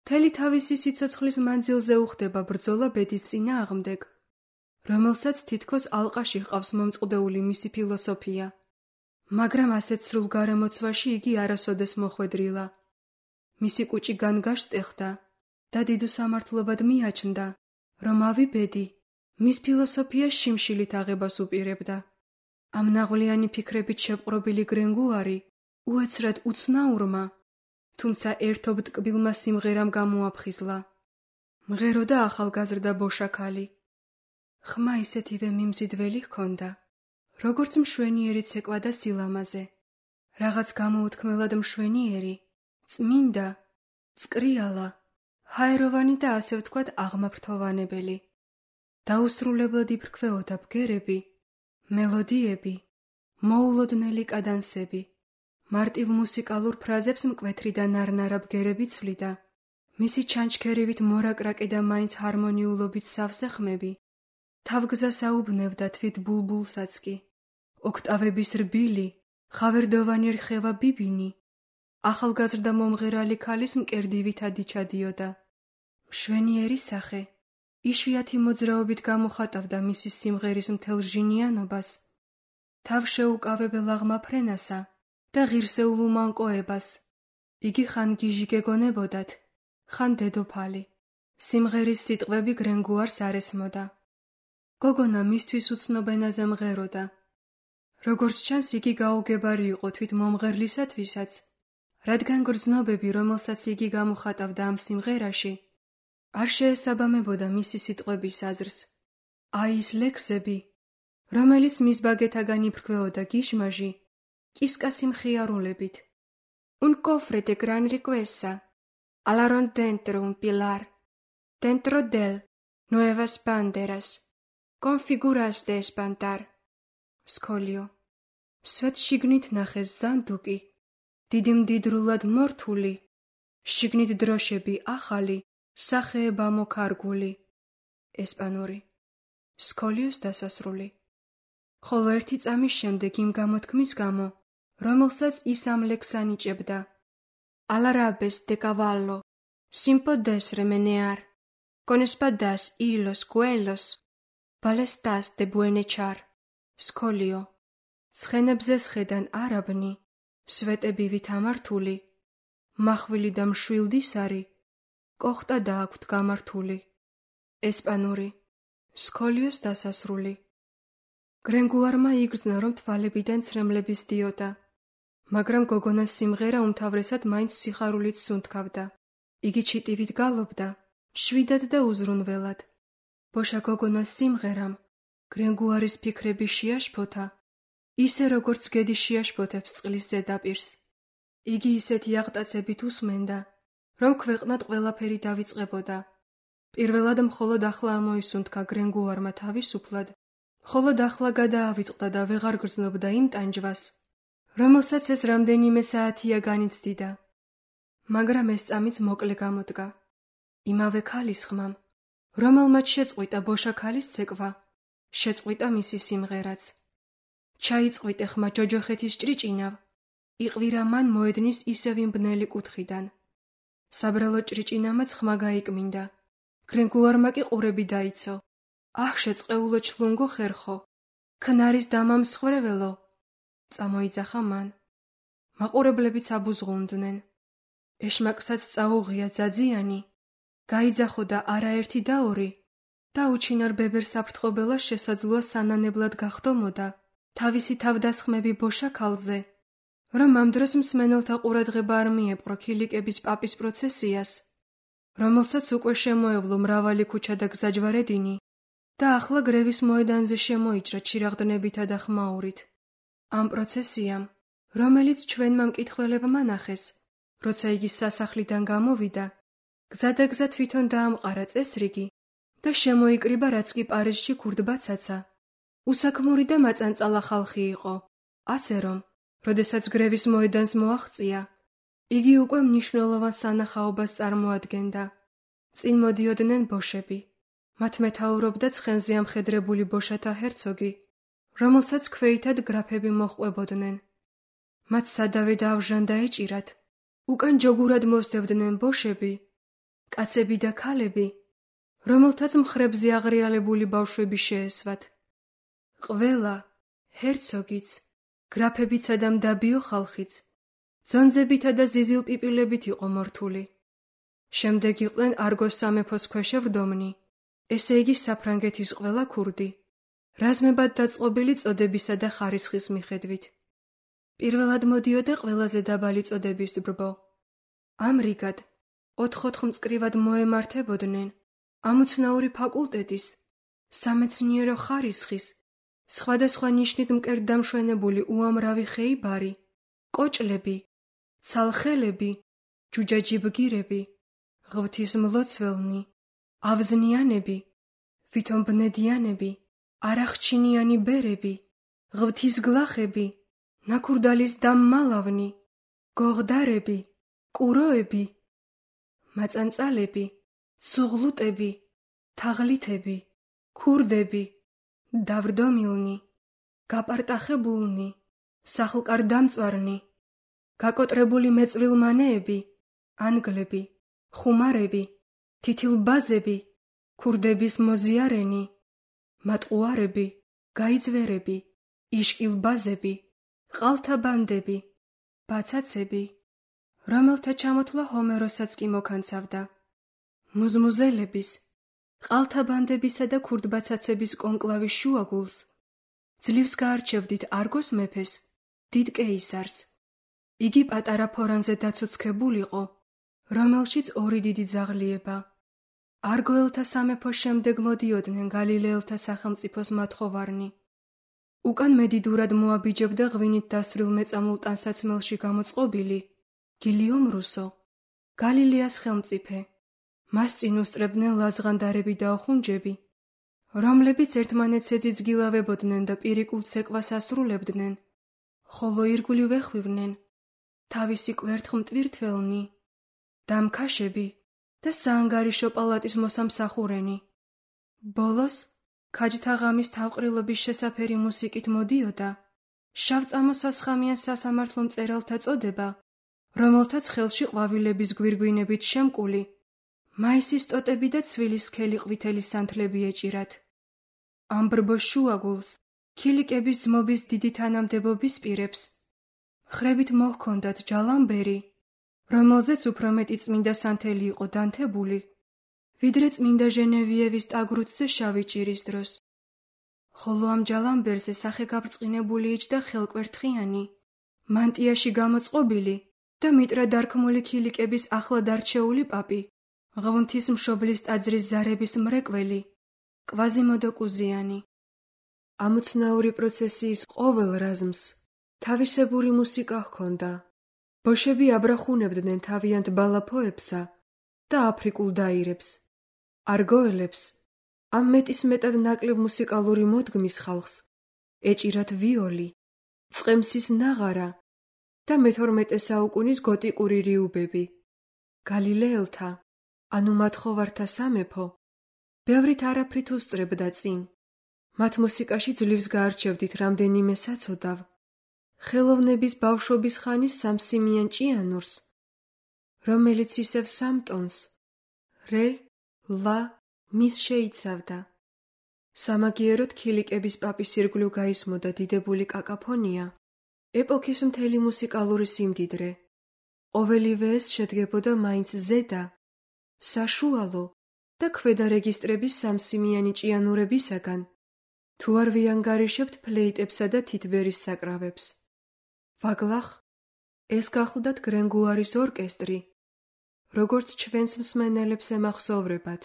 მთელი თავისი სიცოცხლის მანძილზე უხდება ბრძოლა ბედის წინააღმდეგ, რომელსაც თითქოს ალყაში ჰყავს მომწყდეული მისი ფილოსოფია. მაგრამ ასეთ სრულ გარემოცვაში იგი არასოდეს მოხვედრილა. მისი კუჭი განგაშტეხდა და დიდ უსამართლობად მიაჩნდა, რომ ავი ბედი მის ფილოსოფიას შიმშილით აღებას უპირებდა. ამ ნაღვლიანი ფიქრებით შეპყრობილი გრენგუარი უეცრად უცნაურმა, თუმცა ერთობ ტკბილმა სიმღერამ გამოაფხიზლა. მღეროდა ახალგაზრდა ბოშაქალი. ხმა ისეთივე მიმზიდველი ჰქონდა, როგორც მშვენიერი ცეკვა და სილამაზე. რაღაც გამოუთქმელად მშვენიერი, წმინდა, წკრიალა, ჰაეროვანი და ასე ვთქვათ აღმაფრთოვანებელი. დაუსრულებლად იფრქვეოდა ბგერები, მელოდიები, მოულოდნელი კადანსები. მარტივ მუსიკალურ ფრაზებს მკვეთრი და ნარნარა ბგერები ცვლიდა. მისი ჩანჩქერივით მორაკრაკი და მაინც ჰარმონიულობით სავსე ხმები. თავგზას აუბნევდა თვით ბულბულსაც კი. ოქტავების რბილი, ხავერდოვანი რხევა ბიბინი, ახალგაზრდა მომღერალი ქალის მკერდივითად იჩადიოდა. მშვენიერი სახე, იშვიათი მოძრაობით გამოხატავდა მისი სიმღერის მთელ ჟინიანობას, თავშეუკავებელ აღმაფრენასა და ღირსეულ უმანკოებას. იგი ხან გიჟი გეგონებოდათ, ხან დედოფალი. სიმღერის სიტყვები გრენგუარს არ ესმოდა. გოგონა მისთვის უცნობ ენაზე მღეროდა. როგორც ჩანს, იგი გაუგებარი იყო თვით მომღერლისათვისაც, რადგან გრძნობები, რომელსაც იგი გამოხატავდა ამ სიმღერაში, არ შეესაბამებოდა მისი სიტყვების აზრს. აი ის ლექსები, რომელიც მის ბაგეთაგან იფრქვეოდა გიშმაჟი, კისკასი მხიარულებით. Un cofre de gran riqueza, alaron dentro un pilar, dentro del nuevas banderas, con figuras de espantar. Სკოლიო. სვეტ შიგნით ნახეს ზანდუკი, დიდი მდიდრულად მორთული, შიგნით დროშები ახალი, სახეება მოკარგული. ესპანური. სკოლიოს დასასრული. ხოლო ერთი წამის შემდეგ იმ გამოთქმის გამო, რომელსაც ის ამ ლექსს ანიჭებდა. Alarabes de cavallo, sin podes remenear, con espadas y los cuellos, balestas de buen echar. სკოლიო. ცხენებზე სხედან არაბნი, სვეტები ვითამართული, მახვილი და მშვილდისარი, კოხტა და აქვთ გამართული. ესპანური. სკოლიოს დასასრული. გრენგუარმა იგრძნო, რომ თვალებიდან ცრემლები სდიოდა, მაგრამ გოგონას სიმღერა უმთავრესად მაინც სიხარულით სუნთქავდა. იგი ჩიტივით გალობდა, შვიდად და უზრუნველად. ბოშა გოგონას სიმღერამ გრენგუარის ფიქრები შეაშფოთა, ისე როგორც გედი შეაშფოთებს წყლის ზედაპირს. იგი ისეთი აღტაცებით უსმენდა, რომ ქვეყნად ყველაფერი დავიწყებოდა. პირველად მხოლოდ ახლა ამოისუნთქა გრენგუარმა თავისუფლად, მხოლოდ ახლა გადაავიწყდა და ვეღარ გრძნობდა იმ ტანჯვას, რომელსაც ეს რამდენიმე საათია განიცდიდა. მაგრამ ეს წამიც მოკლე გამოდგა. იმავე ქალის ხმამ, რომელმაც შეწყვიტა ბოშა ქალის ცეკვა, შეწყვიტა მისი სიმღერაც. ჩაიწყვიტე ხმა ჯოჯოხეთის ჭრიჭინავ, იყვირა მან მოედნის ისევ იმ ბნელი კუთხიდან. საბრალო ჭრიჭინამაც ხმა გაიკმინდა. გრენგუარმა კი ყურები დაიცო. აჰ, შეწყეულო ჩლუნგო ხერხო, ქნარის დამამსხვერველო. წამოიძახა მან. მაყურებლებიც აბუზღუნდნენ. ეშმაკსაც წაუღია ძაძიანი, გაიძახო და არაერთი და ორი, და უჩინარ ბებერ საფრთხობელას შესაძლოა სანანებლად გახდომოდა თავისი თავდასხმები ბოშა ქალზე, რომ ამ დროს მსმენელთა ყურადღება არ მიეპყრო ქილიკების პაპის პროცესიას, რომელსაც უკვე შემოევლო მრავალი ქუჩა და გზაჯვარედინი და ახლა გრევის მოედანზე შემოიჭრა ჩირაღდნებითა და ხმაურით. ამ პროცესიამ, რომელიც ჩვენმა მკითხველებმა ნახეს, როცა იგი სასახლიდან გამოვიდა, გზადაგზა თვითონ დაამყარა წესრიგი და შემოიკრიბა, რაც კი პარიზში ქურდბაცაცა. უსაქმური და მაწანწალა ხალხი იყო, ასე რომ, როდესაც გრევის მოედანს მოაღწია, იგი უკვე მნიშვნელოვან სანახაობას წარმოადგენდა. წინ მოდიოდნენ ბოშები. მათ მეთაურობდა ცხენზე ამხედრებული ბოშათა ჰერცოგი, რომელსაც ქვეითად გრაფები მოჰყვებოდნენ. მათ სადავე და ავჟანდა ეჭირათ. უკან ჯოგურად მოსდევდნენ ბოშები, კაცები და ქალები, რომელთაც მხრებზე აღრიალებული ბავშვები შეესვათ. ყველა, ჰერცოგიც, გრაფებიცა და მდაბიო ხალხიც, ძონძებითა და ზიზილპიპილებით იყო მორთული. შემდეგ იყვნენ არგოს სამეფოს ქვეშევრდომნი, ესე იგი საფრანგეთის ყველა ქურდი, რაზმებად დაწყობილი წოდებისა და ხარისხის მიხედვით. პირველად მოდიოდა ყველაზე დაბალი წოდების ბრბო. ამრიგად, ოთხ-ოთხ მწკრივად მოემართებოდნენ ამოცნაური ფაკულტეტის, სამეცნიერო ხარისხის, სხვადასხვა ნიშნით მკერდდამშვენებული უამრავი ხეიბარი, კოჭლები, ცალხელები, ჯუჯაჯი ბგირები, ღვთისმლოცველნი, ავზნიანები, ვითომბნედიანები, არახჩინიანი ბერები, ღვთისგლახები, ნაქურდალის დამმალავნი, გოღდარები, კუროები, მაწანწალები, ცუღლუტები, თაღლითები, ქურდები, დავრდომილნი, გაპარტახებულნი, სახლკარდამწვარნი, გაკოტრებული მეწვრილმანეები, ანგლები, ხუმარები, თითილბაზები, ქურდების მოზიარენი, მატყუარები, გაიძვერები, იშკილბაზები, ყალთაბანდები, ბაცაცები, რომელთა ჩამოთვლა ჰომეროსაც კი მოკანცავდა. მუზმუზელების, ყალთაბანდებისა და ქურდბაცაცების კონკლავის შუაგულს ძლივს გაარჩევდით არგოს მეფეს, დიდ კეისარს. იგი პატარა ფორანზე დაცუცქებულიყო, რომელშიც ორი დიდი ძაღლიება. არგოელთა სამეფოს შემდეგ მოდიოდნენ გალილეელთა სახელმწიფოს მათხოვარნი. უკან მედიდურად მოაბიჯებდა ღვინით დასრულ მეწამულ ტანსაცმელში გამოწყობილი გილიომ რუსო, გალილეას ხელმწიფე. მას წინ უსწრებდნენ ლაზღანდარები და ოხუნჯები, რომლებიც ერთმანეთს ეძიძგილავებოდნენ და პირიკულ ცეკვას ასრულებდნენ, ხოლო ირგვლივ ეხვივნენ თავისი კვერთხმტვირთველნი, დამქაშები და საანგარიშო პალატის მოსამსახურენი. ბოლოს ქაჯთა ღამის თავყრილობის შესაფერი მუსიკით მოდიოდა შავწამოსასხამიან სასამართლო მწერალთა წოდება, რომელთაც ხელში ყვავილების გვირგვინებით შემკული მაისის ტოტები და ცვილის სქელი ყვითელი სანთლები ეჭირათ. ამ ბრბოს შუაგულს ქილიკების ძმობის დიდი თანამდებობის პირებს ხრებით მოჰქონდათ ჯალამბერი, რომელზეც უფრო მეტი წმინდა სანთელი იყო დანთებული, ვიდრე წმინდა ჟენევიევის ტაგრუცზე შავი ჭირის დროს. ხოლო ამ ჯალამბერზე სახეგაბრწყინებული იჯდა ხელკვერთხიანი, მანტიაში გამოწყობილი და მიტრა დარქმული ქილიკების ახლად არჩეული პაპი, ღვთისმშობლის ტაძრის ზარების მრეკველი, კვაზიმოდო კუზიანი. ამოცნაური პროცესიის ყოველ რაზმს თავისებური მუსიკა ჰქონდა. ბოშები აბრახუნებდნენ თავიანთ ბალაფოებსა და აფრიკულ დაირებს, არგოელებს, ამ მეტისმეტად ნაკლებ მუსიკალური მოდგმის ხალხს ეჭირათ ვიოლი, წყემსის ნაღარა და მეთორმეტე საუკუნის გოტიკური რიუბები. გალილეელთა, ანუ მათხოვართა სამეფო, ბევრით არაფრით უსწრებდა წინ. მათ მუსიკაში ძლივს გაარჩევდით რამდენიმე საცოდავ, ხელოვნების ბავშვობის ხანის სამსიმიან ჭიანურს, რომელიც ისევ სამ ტონს, რე, ლა, მის შეიცავდა. სამაგიეროდ ქილიკების პაპის ირგვლივ გაისმოდა დიდებული კაკაფონია, ეპოქის მთელი მუსიკალური სიმდიდრე. ყოველივე ეს შედგებოდა მაინც ზედა, საშუალო და ქვედა რეგისტრების სამსიმიანი ჭიანურებისაგან, თუ არ ვიანგარიშებთ ფლეიტებსა და თითბერის საკრავებს. ვაგლახ, ეს გახლდათ გრენგუარის ორკესტრი, როგორც ჩვენს მსმენელებს ემახსოვრებათ.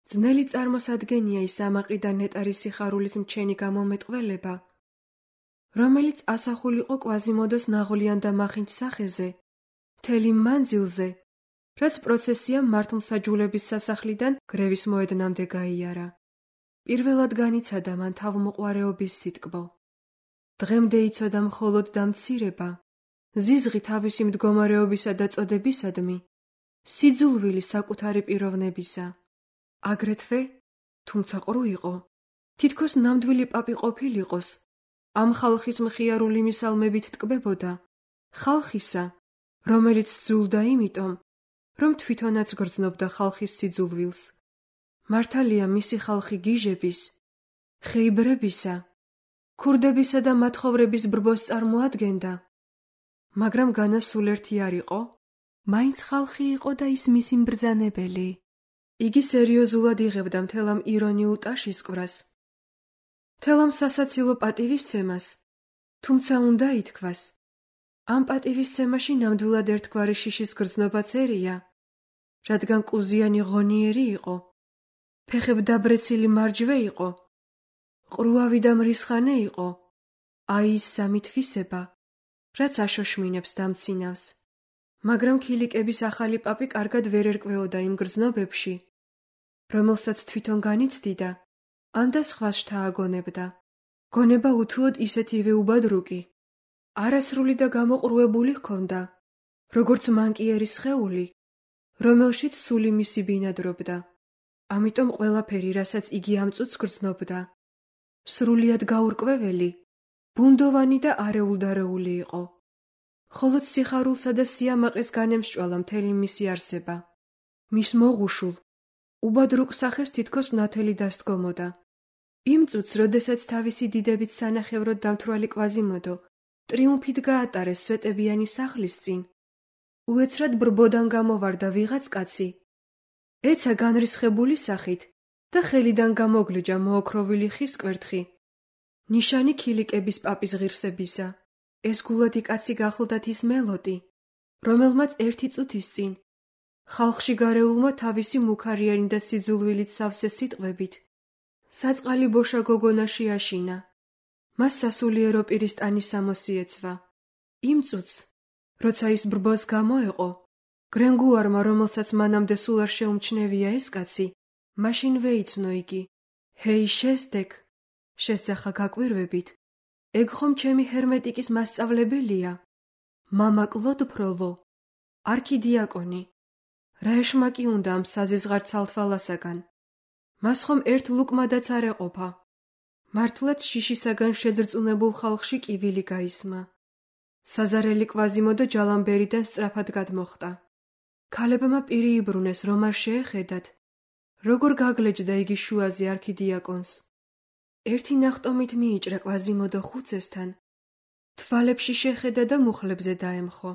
ძნელი წარმოსადგენია ის ამაყი და ნეტარი სიხარულის მჩენი გამომეტყველება, რომელიც ასახულიყო კვაზიმოდოს ნაღვლიან და მახინჯ სახეზე, მთელი მანძილზე, რაც პროცესიამ მართლმსაჯულების სასახლიდან გრევის მოედნამდე გაიარა. პირველად განიცადა მან თავმოყვარეობის სიტკბო. დღემდე იცოდა მხოლოდ დამცირება, ზიზღი თავისი მდგომარეობისა და წოდებისადმი, სიძულვილი საკუთარი პიროვნებისა. აგრეთვე, თუმცა ყრუ იყო, თითქოს ნამდვილი პაპი ყოფილიყოს, ამ ხალხის მხიარული მისალმებით ტკბებოდა, ხალხისა, რომელიც ძულდა იმიტომ, რომ თვითონაც გრძნობდა ხალხის სიძულვილს. მართალია მისი ხალხი გიჟების, ხეიბრებისა, ქურდებისა და მათხოვრების ბრბოს წარმოადგენდა, მაგრამ განა სულ ერთი არ იყო, მაინც ხალხი იყო და ის მისი mbრძანებელი. იგი სერიოზულად იღებდა მთელ ამ ირონიულ ტაშისკვრას, მთელ ამ სასაცილო პატივისცემას, თუმცა უნდა ითქვას, ამ პატივისცემაში ნამდვილად ერთგვარი შიშის გრძნობაც ერია, რადგან კუზიანი ღონიერი იყო, ფეხებდაბრეცილი მარჯვე იყო, ყრუავი და მრისხანე იყო, აი ის სამი თვისება, რაც აშოშმინებს დამცინავს. მაგრამ ქილიკების ახალი პაპი კარგად ვერ ერკვეოდა იმ გრძნობებში, რომელსაც თვითონ განიცდიდა, ან და სხვას შთააგონებდა. გონება უთუოდ ისეთივე უბადრუკი, არასრული და გამოყრუებული ჰქონდა, როგორც მანკიერის სხეული, რომელშიც სული მისი ბინადრობდა. ამიტომ ყველაფერი, რასაც იგი ამ წუთს გრძნობდა, სრულიად გაურკვეველი, ბუნდოვანი და არეულდარეული იყო. ხოლო სიხარულსა და სიამაყეს განემსჭვალა მთელი მისი არსება. მის მოღუშულ, უბად რუკ სახეს თითქოს ნათელი დასდგომოდა. იმ წუთს, როდესაც თავისი დიდებით სანახევროდ დამთვრალი კვაზიმოდო ტრიუმფით გაატარეს სვეტებიანი სახლის წინ, უეცრად ბრბოდან გამოვარდა ვიღაც კაცი. ეცა განრისხებული სახით და ხელიდან გამოგლეჯა მოოქროვილი ხის კვერთხი. ნიშანი ქილიკების პაპის ღირსებისა. ეს გულადი კაცი გახლდათ ის მელოტი, რომელმაც ერთი წუთის წინ ხალხში გარეულმა თავისი მუქარიანი და სიძულვილით სავსე სიტყვებით საწყალი ბოშა გოგონაში აშინა. მას სასულიერო პირისტანის სამოსიეცვა. იმ წუთს, როცა ის ბრბოს გამოეყო, გრენგუარმა, რომელსაც მანამდე სულ არ შეუმჩნევია ეს კაცი, მაშინვე იცნო იგი. ჰეი შესდეკ, შესძახა გაკვირვებით. ეგ ხომ ჩემი ჰერმეტიკის მასწავლებელია? მამა კლოდ ფროლო, არქიდიაკონი. რა ეშმაკი უნდა ამ საზიზღარ ცალთვალასაგან? მას ხომ ერთ ლუკმადაც არ ეყოფა. მართლაც შიშისაგან შეძრწუნებულ ხალხში კივილი გაისმა. საზარელი კვაზიმოდო ჯალამბერიდან სწრაფად გადმოხტა. ქალებმა პირი იბრუნეს, რომ არ შეეხედათ, როგორ გაგლეჯდა იგი შუაზე არქიდიაკონს. ერთი ნახტომით მიიჭრა კვაზიმოდო ხუცესთან, თვალებში შეხედა და მუხლებზე დაემხო.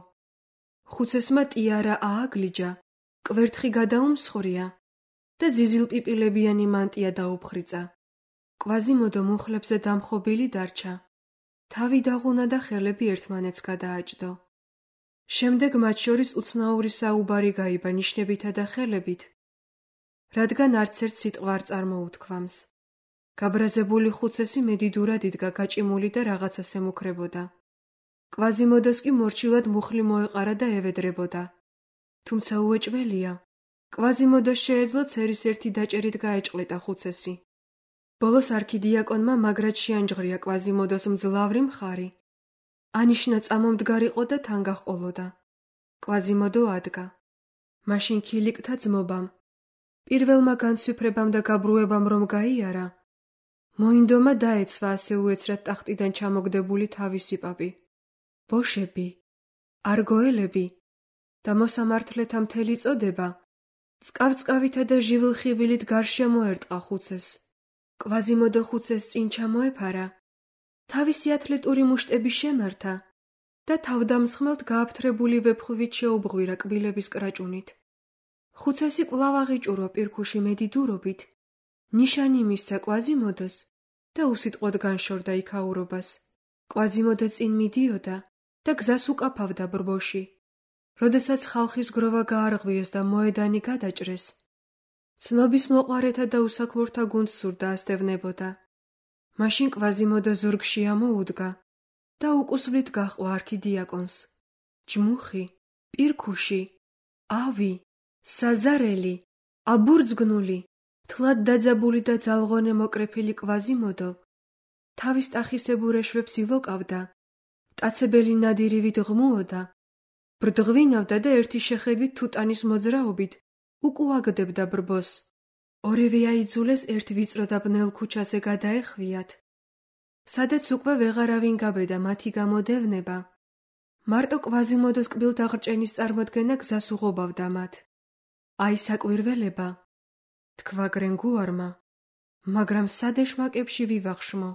ხუცესმა ტიარა ააგლიჯა, კვერთხი გადაუმსხვრია და ზიზილპიპილებიანი მანტია დაუფხრიწა. კვაზიმოდო მუხლებზე დამხობილი დარჩა. თავი დაღუნა და ხელები ერთმანეთს გადააჭდო. შემდეგ მათ შორის უცნაური საუბარი გაიბა ნიშნებითა და ხელებით, რადგან არც ერთ სიტყვა არ წარმოუთქვამს. გაბრაზებული ხუცესი მედიდურად იდგა გაჭიმული და რაღაცას ემუქრებოდა. კვაზიმოდოს კი მორჩილად მუხლი მოეყარა და ევედრებოდა. თუმცა უეჭველია, კვაზიმოდოს შეეძლო ცერის ერთი დაჭერით გაეჭყლეტა ხუცესი. ბოლოს არქიდიაკონმა მაგრად შეანჯღრია კვაზიმოდოს მძლავრი მხარი. ანიშნა წამომდგარიყო და თან გაჰყოლოდა. კვაზიმოდო ადგა. მაშინ ქილიკთა ძმობამ, პირველმა განცვიფრებამ და გაბრუებამ რომ გაიარა, მოინდომა დაეცვა ასე უეცრად ტახტიდან ჩამოგდებული თავისი პაპი. ბოშები, არგოელები და მოსამართლეთა მთელი წოდება წყავწყავითა და ჟივილხივილით გარშემო ერტყა ხუცეს. კვაზიმოდო ხუცეს წინ ჩამოეფარა, თავისი ათლეტური მუშტები შემართა და თავდამსხმელთ გააფთრებული ვეფხვით შეუბღვირა კბილების კრაჭუნით. ხუცესი კვლავ აღიჭურვა პირქუში მედიდურობით, ნიშანი მისცა კვაზიმოდოს და უსიტყვოდ განშორდა იქაურობას. კვაზიმოდო წინ მიდიოდა და გზას უკაფავდა ბრბოში. როდესაც ხალხის გროვა გაარღვიეს და მოედანი გადაჭრეს, ცნობის მოყვარეთა და უსაქმურთა გუნდს სურდა ასდევნებოდა. მაშინ კვაზიმოდო ზურგში ამოუდგა და უკუსვლით გაჰყვა არქიდიაკონს. ჯმუხი, პირქუში, ავი, საზარელი, აბურძგნული, თლად დაძაბული და ძალღონე მოკრეფილი კვაზიმოდო თავის ტახისებურ ეშვებს ილოკავდა, მტაცებელი ნადირივით ღმუოდა, ბრდღვინავდა და ერთი შეხედვით თუტანის მოძრაობით უკუაგდებდა ბრბოს. ორივე აიძულეს ერთ ვიწრო და ბნელ ქუჩაზე გადაეხვიათ, სადაც უკვე ვეღარავინ გაბედა მათი გამოდევნება. მარტო კვაზიმოდოს კბილდაღრჭენის წარმოდგენა გზას უღობავდა მათ. აი საკვირველება, თქვა გრენგუარმა, მაგრამ სად ეშმაკებში ვივახშმო?